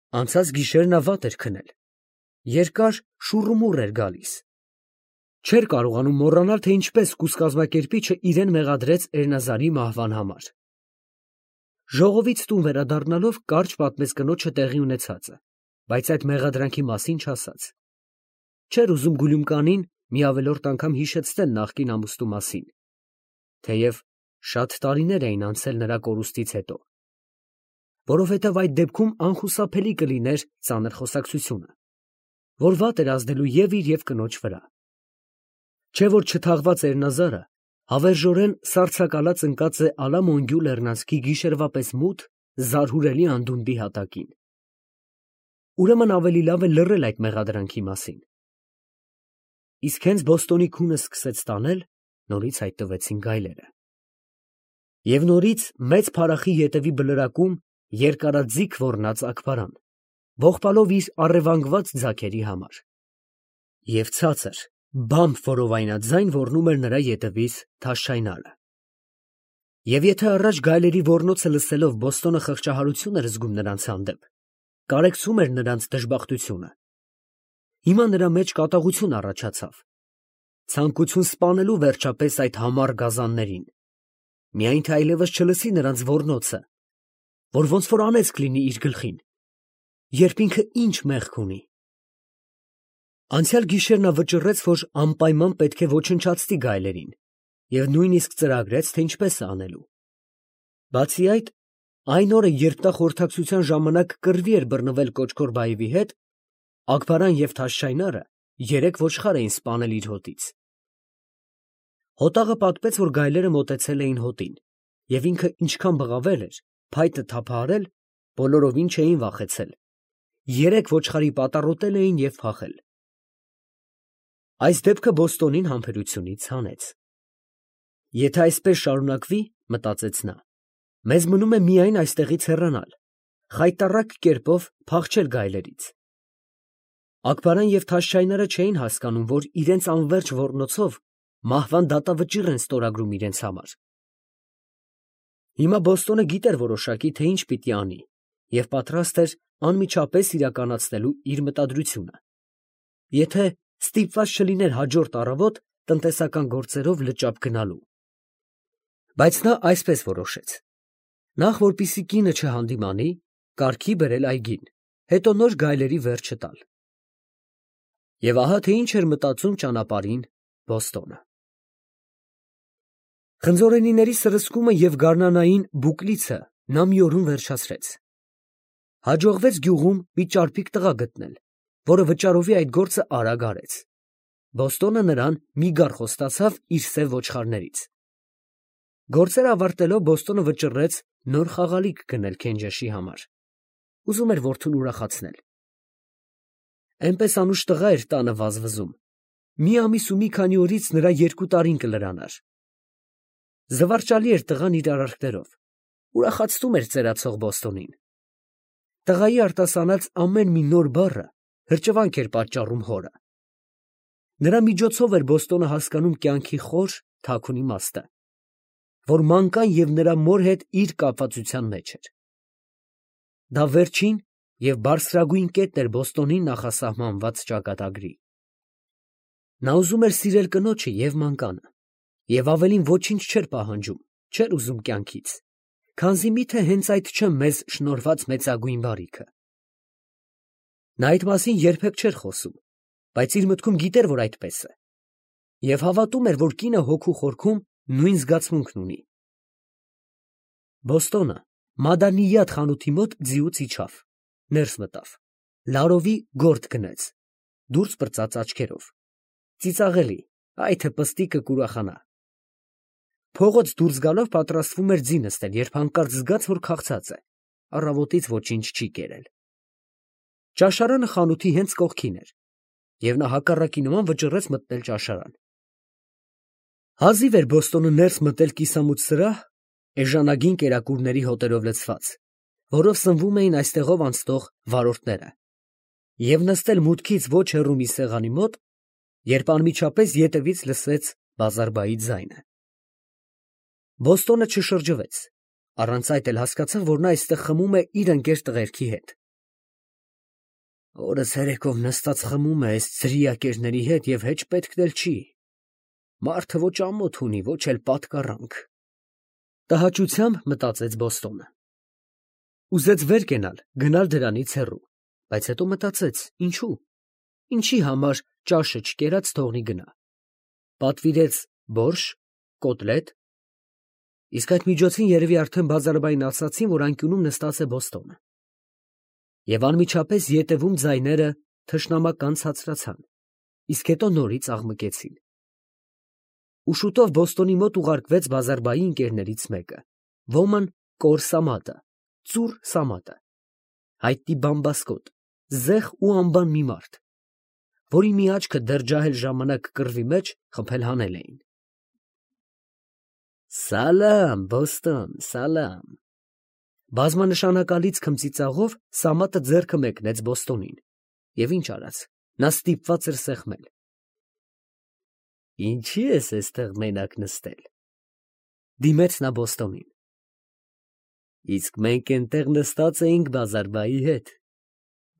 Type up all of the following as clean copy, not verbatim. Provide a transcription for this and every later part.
Անցած գիշեր նա վատ էր քնել, երկար շուռումուռ էր գալիս, չէր կարողանում մոռանալ, թե ինչպես կուսկազմակերպիչը իրեն մեղադրեց Էրնազարի մահվան համար։ Ժողովից տուն վերադառնալով կարճ պատմեց կնոջը տեղի ունեցածը, բայց այդ մեղադրանքի մասին չասաց։ Չէր ուզում Գուլյումկանին մի ավելորդ անգամ հիշեցնել նախկին ամուսնու մասին, թեև շատ տարիներ էին անցել նրա կորուստից հետո, որովհետև այդ դեպքում անխուսափելի կլիներ ծանր խոսակցությունը, որ վատ էր ազդելու և իր և կնոջ վրա։ Չէ որ չթաղված Էրնազարը հավերժորեն սառցակալած ընկած է Ալամոնգյու լեռնանցքի գիշերվա պես մութ, զարհուրելի անդունդի հատակին։ Ուրեմն ավելի լավ է լռել այդ մեղադրանքի մասին։ Իսկ հենց Բոստոնի քունը սկսեց տանել, նորից հայտնվեցին գայլերը։ Եվ նորից մեծ փարախի ետևի բլրակում երկարաձիգ ոռնաց Աքբարան, ողբալով իր առևանգված ձագերի համար։ Եվ ցածր, բամբ որովայնաձայն ոռնում էր նրա ետևից Թաշչայնարը։ Եվ եթե առաջ գայլերի ոռնոցը լսելով Բոստոնը խղճահարություն էր զգում նրանց հանդեպ, կարեկցում էր նրանց դժբախտությունը, հիմա նրա մեջ կատաղություն առաջացավ, ցանկություն սպանելու վերջապես այդ համառ գազաններին, միայն թե այլևս չլսի նրանց ոռնոցը, որ ոնց որ անեծք լինի իր գլխին, երբ ինքը ինչ մեղք ունի։ Անցյալ գիշեր նա վճռեց, որ անպայման պետք է ոչնչացնի գայլերին, և նույնիսկ ծրագրեց, թե ինչպես է անելու։ Բացի այդ, այն օրը, երբ նա խորհրդակցության ժամանակ կռվի էր բռնվել Կոճկոր֊Բաևի հետ, Աքբարան և Թաշչայնարը 3 ոչխար էին սպանել իր հոտից։ Հոտաղը պատմեց, որ գայլերը մոտեցել էին հոտին, և ինքը ինչքան բղավել էր, փայտը թափահարել, բոլորովին չէին վախեցել, 3 ոչխարի պատառոտել էին և փախել։ Այս դեպքը Բոստոնին համբերությունից հանեց։ Եթե այսպես շարունակվի, մտածեց նա, մեզ մնում է միայն այստեղից հեռանալ, խայտառակ կերպով փախչել գայլերից։ Աքբարան և Թաշչայնարը չէին հասկանում, որ իրենց անվերջ ոռնոցով մահվան դատավճիռ են ստորագրում իրենց համար։ Հիմա Բոստոնը գիտեր որոշակի, թե ինչ պիտի անի, և պատրաստ էր անմիջապես իրականացնելու իր մտադրությունը, եթե ստիպված չլիներ հաջորդ առավոտ տնտեսական գործերով լճապ գնալու։ Բայց նա այսպես որոշեց. նախ որպեսզի կինը չհանդիմանի, կարգի բերել այգին, հետո նոր գայլերի վերջը տալ։ Եվ ահա թե ինչ էր մտածում ճանապարհին Բոստոնը։ Խնձորենիների սրսկումը և գարնանային բուկլիցը նա մի օրում վերջացրեց։ Հաջողվեց գյուղում մի ճարպիկ տղա գտնել, որը վճարովի այդ գործը արագ արեց։ Բոստոնը նրան մի գար խոստացավ իր սև ոչխարներից։ Գործերը ավարտելով Բոստոնը վճռեց նոր խաղալիք գնել Քենջեշի համար։ Ուզում էր որդուն ուրախացնել։ Էնպես անուշ տղա էր տանը վազվզում։ Մի ամիս ու մի քանի օրից նրա 2 տարին կլրանար։ Զվարճալի էր տղան իր արարքներով, ուրախացնում էր ծերացող Բոստոնին։ Տղայի արտասանած ամեն մի նոր բառը հրճվանք էր պատճառում հորը։ Նրա միջոցով էր Բոստոնը հասկանում կյանքի խոր, թաքուն իմաստը, որ մանկան և նրա մոր հետ իր կապվածության մեջ էր։ Դա վերջին և բարձրագույն կետն էր Բոստոնին նախասահմանված ճակատագրի։ Նա ուզում էր սիրել կնոջը և մանկանը, և ավելին ոչինչ չէր պահանջում, չէր ուզում կյանքից, քանզի միթե հենց այդ չէ մեզ շնորհված մեծագույն բարիքը։ Նա այդ մասին երբեք չէր խոսում, բայց իր մտքում գիտեր, որ այդպես է, և հավատում էր, որ կինը հոգու խորքում նույն զգացմունքն ունի։ Բոստոնը Մադանիյաթ խանութի մոտ ձիուց իջավ, ներս մտավ, լարովի գորտ գնեց, դուրս պրծաց աչքերով, ծիծաղելի, այ թե պստիկը կուրախանա։ Փողոց դուրս գալով պատրաստվում էր ձի նստել, երբ հանկարծ զգաց, որ քաղցած է, առավոտից ոչինչ չի կերել։ Ճաշարանը խանութի հենց կողքին էր, և նա հակառակի նման վճռեց մտնել ճաշարան։ Հազիվ էր Բոստոնը ներս մտել կիսամութ սրահ, էժանագին կերակուրների հոտերով լցված, որով սնվում էին այստեղով անցնող վարորդները, և նստել մուտքից ոչ հեռու մի սեղանի մոտ, երբ անմիջապես ետևից լսեց Բազարբայի ձայնը։ Բոստոնը չշրջվեց, առանց այդ էլ հասկացավ, որ նա այստեղ խմում է իր ընկեր տղերքի հետ։ Օրը ցերեկով նստած խմում է այս ծրիակերների հետ և հեչ պետք էլ չի։ Մարդը ոչ ամոթ ունի, ոչ էլ պատկառանք։ Տհաճությամբ մտածեց Բոստոնը։ Ուզեց վեր կենալ, գնալ դրանից հեռու, բայց հետո մտածեց, ինչու։ Ինչի համար ճաշը չկերած թողնի գնա։ Պատվիրեց բորշ, կոտլետ, իսկ այդ միջոցին երևի արդեն բազարբային ասացին, որ անկյունում նստած է Բոստոնը։ Եվ անմիջապես ետևում ձայները թշնամական ցածրացան, իսկ հետո նորից աղմկեցին։ Ու շուտով Բոստոնի մոտ ուղարկվեց բազարբայի ընկերներից մեկը, ոմն կոր Սամատը, ծուռ Սամատը, հայտնի բամբասկոտ, զեղ ու անբան մի մարդ, որի մի աչքը դեռ ջահել ժամանակ կռվի մեջ խփել հանել էին։ Սալամ, Բոստոն, սալամ։ Բազմանշանակալից քմծիծաղով Սամատը ձեռքը մեկնեց Բոստոնին, և ինչ արած, նա ստիպված էր սեղմել։ Ինչի ես էստեղ մենակ նստել, դիմեց նա Բոստոնին։ Իսկ մենք էնտեղ նստած էինք բազարբայի հետ։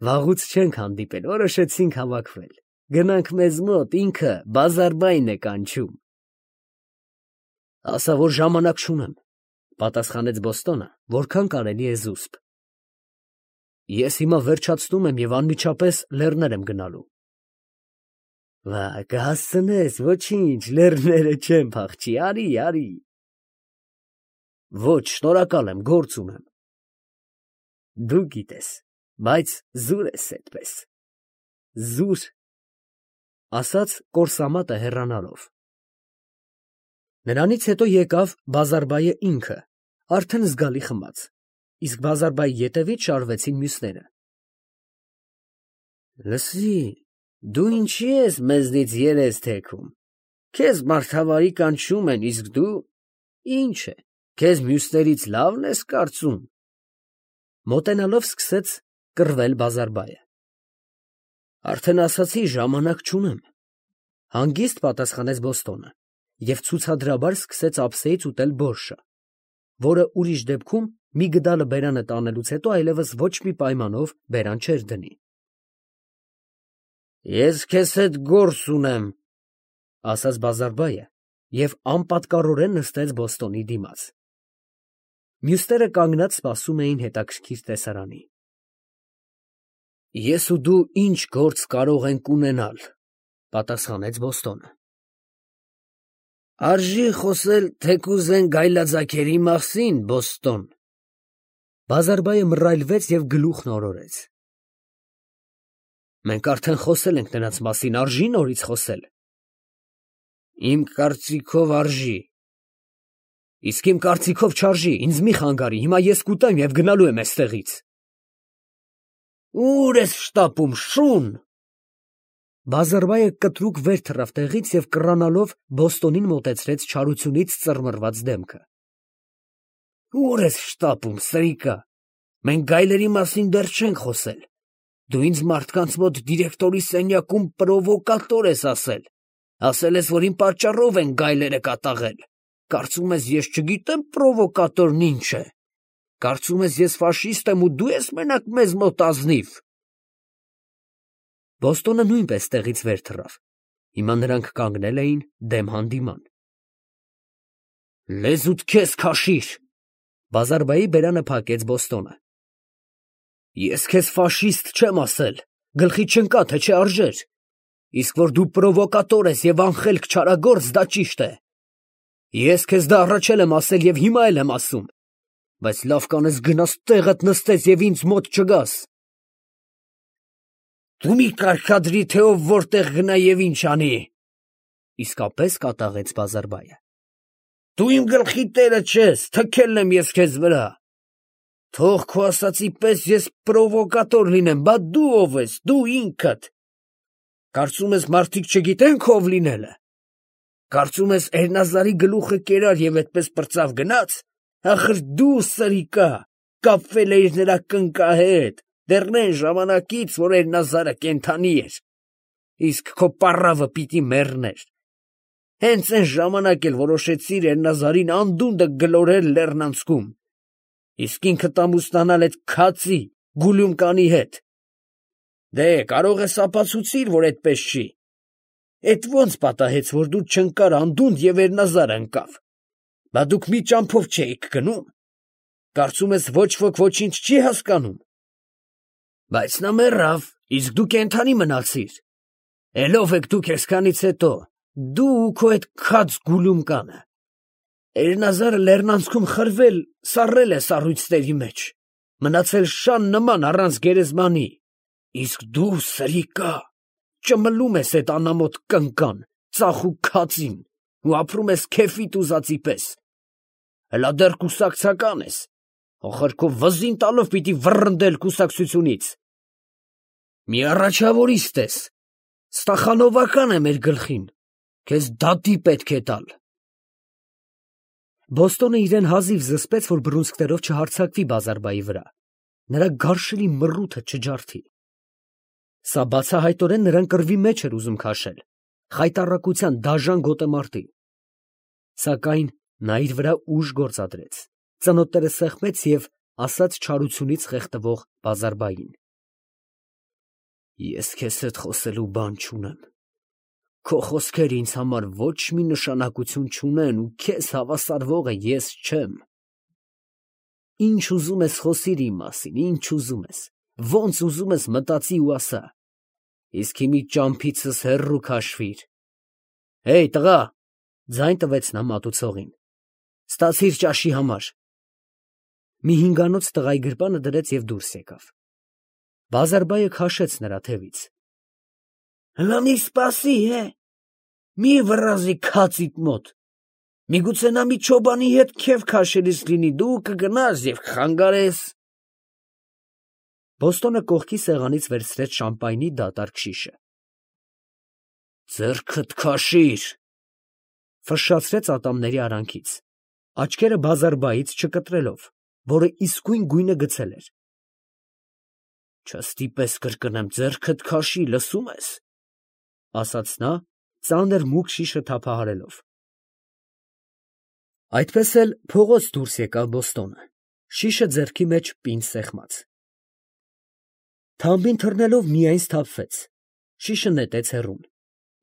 Վաղուց չենք հանդիպել, որոշեցինք հավաքվել։ Գնանք մեզ մոտ, ինքը բազարբային է կանչում։ Ասա, որ ժամանակ չունեմ, պատասխանեց Բոստոնը, որքան կարելի է զուսպ։ Ես հիմա վերջացնում եմ և անմիջապես լեռներ եմ գնալու։ Վա, կհասցնես, ոչինչ, լեռները չեն փախչի, արի, արի։ Ոչ, շնորհակալ եմ, գործ ունեմ։ Դու գիտես, բայց զուր ես էդպես։ Զուր, ասաց կորսամատը հեռանալով։ Նրանից հետո եկավ բազարբայը ինքը, արդեն զգալի խմած, իսկ բազարբայի ետևից շարվեցին մյուսները։ Լսի, դու ինչի ես մեզնից երես թեքում, քեզ մարդավարի կանչում են, իսկ դու, ինչ է, քեզ մյուսներից լավն ես կարծում։ Մոտենալով սկսեց կռվել բազարբայը։ Արդեն ասացի, ժամանակ չունեմ, հանգիստ պատասխանեց Բոստոնը և ցուցադրաբար սկսեց ափսեից ուտել բորշը, որը ուրիշ դեպքում մի գդալը բերանը տանելուց հետո այլևս ոչ մի պայմանով բերան չէր դնի։ Ես քեզ հետ գործ ունեմ, ասաց բազարբայը և անպատկառորեն նստեց Բոստոնի դիմաց։ Մյուսները կանգնած սպասում էին հետաքրքիր տեսարանի։ Ես ու դու ինչ գործ կարող ենք ունենալ, պատասխանեց Բոստոնը։ Արժի խոսել թեկուզ են գայլաձագերի մասին, Բոստոն։ Բազարբայը մռայլվեց և գլուխն օրորեց։ Մենք արդեն խոսել ենք նրանց մասին, արժի նորից խոսել։ Իմ կարծիքով արժի։ Իսկ իմ կարծիքով չարժի, ինձ մի խանգարի, հիմա ես կուտեմ և գնալու եմ էստեղից։ Ուր ես շտապում, շուն։ Բազարբայը կտրուկ վեր թռավ տեղից և կռանալով Բոստոնին մոտեցրեց չարությունից ծռմռված դեմքը։ Ուր ես շտապում, սրիկա, մենք գայլերի մասին դեռ չենք խոսել։ Դու ինձ մարդկանց մոտ դիրեկտորի սենյակում պրովոկատոր ես ասել։ Ասել ես, որ իմ պատճառով են գայլերը կատաղել։ Կարծում ես, ես չգիտեմ պրովոկատորն ինչ է։ Կարծում ես, ես ֆաշիստ եմ ու դու ես մենակ մեզ մոտ ազնիվ։ Բոստոնը նույնպես տեղից վեր թռավ։ Հիմա նրանք կանգնել էին դեմ հանդիման։ Լեզուդ քեզ քաշիր։ Բազարբայի բերանը փակեց Բոստոնը։ Ես քեզ ֆաշիստ չեմ ասել, գլխի չընկա, թե չէ արժեր։ Իսկ որ դու պրովոկատոր ես և անխելք չարագործ, դա ճիշտ է։ Ես քեզ դա առաջել եմ ասել և հիմա էլ եմ ասում, բայց լավ կանես գնաս տեղդ նստես և ինձ մոտ չգաս։ Դու մի կարգադրի, թե ով որտեղ գնա և ինչ անի։ Իսկապես կատաղեց բազարբայը։ Դու իմ գլխի տերը չես, թքել եմ ես քեզ վրա։ Թող քո ասածի պես ես պրովոկատոր լինեմ, բա դու ով ես, դու ինքդ։ Կարծում ես մարդիկ չգիտեն քո ով լինելը։ Կարծում ես Էրնազարի գլուխը կերար և այդպես պրծավ գնաց։ Ախր դու, սրիկա, կապվել էիր նրա կնկահետ, դեռ այն ժամանակից, որ Էրնազարը կենդանի էր։ Իսկ քո պառավը պիտի մեռներ։ Հենց այն ժամանակ էլ որոշեցիր Էրնազարին անդունդը գլորել լեռնանցքում, իսկ ինքդ ամուսնանալ այդ քացի, Գուլյումկանի հետ։ Դե, կարող ես ապացուցիր, որ այդպես չի։ Էդ ո՞նց պատահեց, որ դու չընկար անդունդ և Էրնազարը ընկավ։ Բա դուք մի ճամփով չէիք գնում։ Կարծում ես ոչ ոք ոչինչ չի հասկանում։ Բայց նա մեռավ, իսկ դու կենդանի մնացիր։ Էլ ո՞վ եք դուք այսքանից հետո, դու ու քո այդ քաջ գուլումկանը։ Էրնազարը լեռնանցքում խրվել, սառել է սառույցների մեջ, մնացել շան նման առանց գերեզմանի, իսկ դու, սրիկա, ճմլում ես այդ անամոթ կնկան, ծախու քածին ու ապրում ես քեֆիդ ուզածի պես։ Հլա դեռ կուսակցական ես, ոխրկով վզին տալով պիտի վռնդել կուսակցությունից։ Մի առաջավորիստ ես, ստախանովական է մեր գլխին, քեզ դատի պետք է տալ։ Բոստոնը իրեն հազիվ զսպեց, որ բռունցքներով չհարձակվի Բազարբայի վրա, նրա գարշելի մռութը չջարդի։ Սա բացահայտորեն նրան կռվի մեջ էր ուզում քաշել, խայտառակության դաժան գոտեմարտի։ Սակայն նա իր վրա ուժ գործադրեց, ծնոտները սեղմեց և ասաց չարությունից խեղդվող Բազարբային. Ես քեզ հետ խոսելու բան չունեմ, քո խոսքերը ինձ համար ոչ մի նշանակություն չունեն ու քեզ հավասարվողը ես չեմ։ Ինչ ուզում ես խոսիր իմ մասին, ինչ ուզում ես, ոնց ուզում ես մտածի ու ասա, իսկ հիմի ճամփիցս հեռու քաշվիր։ Հեյ, տղա, ձայն տվեց նա մատուցողին, ստացիր ճաշի համար։ Մի հինգանոց տղայի գրպանը դրեց և դուրս եկավ։ Բազարբայը քաշեց նրա թևից։ Հլա մի սպասի, մի վռազի քածիդ մոտ, միգուցե նա մի չոբանի հետ քեֆ քաշելիս լինի, դու կգնաս և կխանգարես։ Բոստոնը կողքի սեղանից վերցրեց շամպայնի դատարկ շիշը։ Ձեռքդ քաշիր, ֆշշացրեց ատամների արանքից, աչքերը Բազարբայից չկտրելով, որը իսկույն գույնը գցել էր։ Չստիպես կրկնեմ, ձեռքդ քաշի, լսում ես, ասաց նա, ծանր մուգ շիշը թափահարելով։ Այդպես էլ փողոց դուրս եկավ Բոստոնը, շիշը ձեռքի մեջ պինդ սեղմած։ Թամբին թռնելով միայն սթափվեց, շիշը նետեց հեռուն,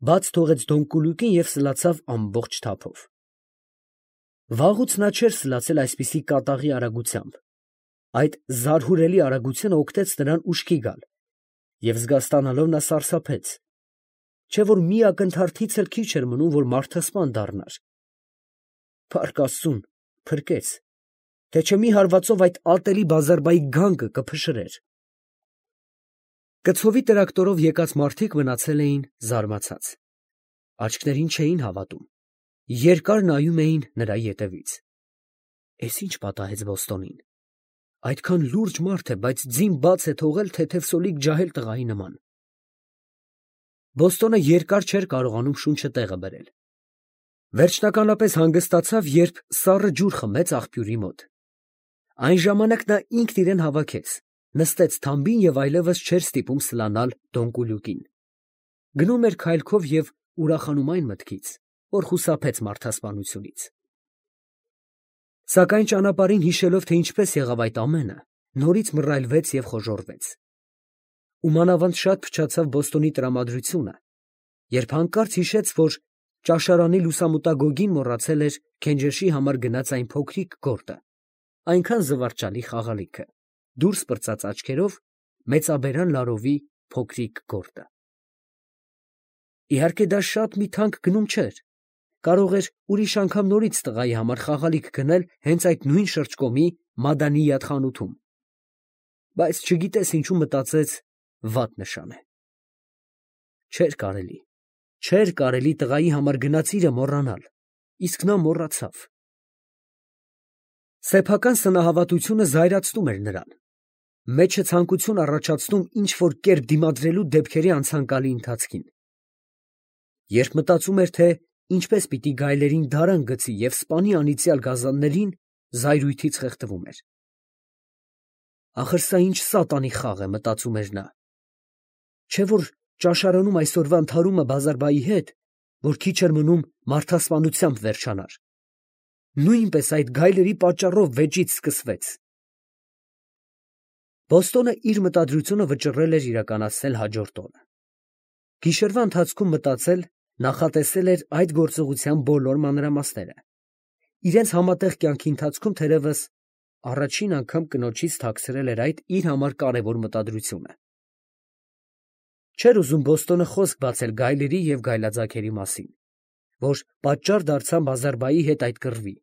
բաց թողեց դոնկուլուկին և սլացավ ամբողջ թափով։ Վաղուց նա չէր սլացել այսպիսի կատաղի արագությամբ։ Այդ զարհուրելի արագությունը օգնեց նրան ուշքի գալ, և զգաստանալով նա սարսափեց, չէ որ մի ակնթարթից էլ քիչ էր մնում, որ մարդասպան դառնար։ Փառք Աստծուն, փրկեց, թե չէ մի հարվածով այդ ատելի Բազարբայի գանգը կփշրեր։ Կցովի տրակտորով եկած մարդիկ մնացել էին զարմացած, աչքներին չէին հավատում, երկար նայում էին նրա ետևից։ Էս ինչ պատահեց Բոստոնին, այդքան լուրջ մարդ է, բայց ձին բաց է թողել թեթև սոլիկ ջահել տղայի նման։ Բոստոնը երկար չէր կարողանում շունչը տեղը բերել։ Վերջնականապես հանգստացավ, երբ սառը ջուր խմեց աղբյուրի մոտ։ Այն ժամանակ նա ինքն իրեն հավաքեց, նստեց թամբին և այլևս չէր ստիպում սլանալ դոնկուլուկին։ Գնում էր քայլքով և ուրախանում այն մտքից, որ խուսափեց մարդասպանությունից։ Սակայն ճանապարհին հիշելով, թե ինչպես եղավ այդ ամենը, նորից մռայլվեց և խոժոռվեց։ Ու մանավանդ շատ փչացավ Բոստոնի տրամադրությունը, երբ հանկարծ հիշեց, որ ճաշարանի լուսամուտագոգին մոռացել էր Քենջեշի համար գնած այն փոքրիկ գորտը, այնքան զվարճալի խաղալիքը, դուրս պրծած աչքերով մեծաբերան լարովի փոքրիկ գորտը։ Իհարկե դա շատ մի թանկ գնում չէր, կարող էր ուրիշ անգամ նորից տղայի համար խաղալիք գնել հենց այդ նույն շրջկոմի Մադանիյաթ խանութում, բայց չգիտես ինչու մտածեց վատ նշան է։ Չէր կարելի տղայի համար գնացիրը մոռանալ, իսկ նա մոռացավ։ Սեփական սնահավատությունը զայրացնում էր նրան, մեջը ցանկություն առաջացնում ինչ-որ կերպ դիմադրելու դեպքերի անցանկալի ընթացքին։ Երբ մտածում էր, թե ինչպես պիտի գայլերին դարան գցի և սպանի անիծյալ գազաններին, զայրույթից խեղդվում էր։ Ախր սա ինչ սատանի խաղ է, մտածում էր նա։ Չէ որ ճաշարանում այսօրվա ընդհարումը Բազարբայի հետ, որ քիչ էր մնում մարդասպանությամբ վերջանար, նույնպես այդ գայլերի պատճառով վեճից սկսվեց։ Բոստոնը իր մտադրությունը վճռել էր իրականացնել հաջորդ օրը։ Գիշերվա ընթացքում մտածել, նախատեսել էր այդ գործողության բոլոր մանրամասները։ Իրենց համատեղ կյանքի ընթացքում թերևս առաջին անգամ կնոջից թաքցրել էր այդ իր համար կարևոր մտադրությունը։ Չէր ուզում Բոստոնը խոսք բացել գայլերի և գայլաձագերի մասին, որ պատճառ դարձան Բազարբայի հետ այդ կռվի,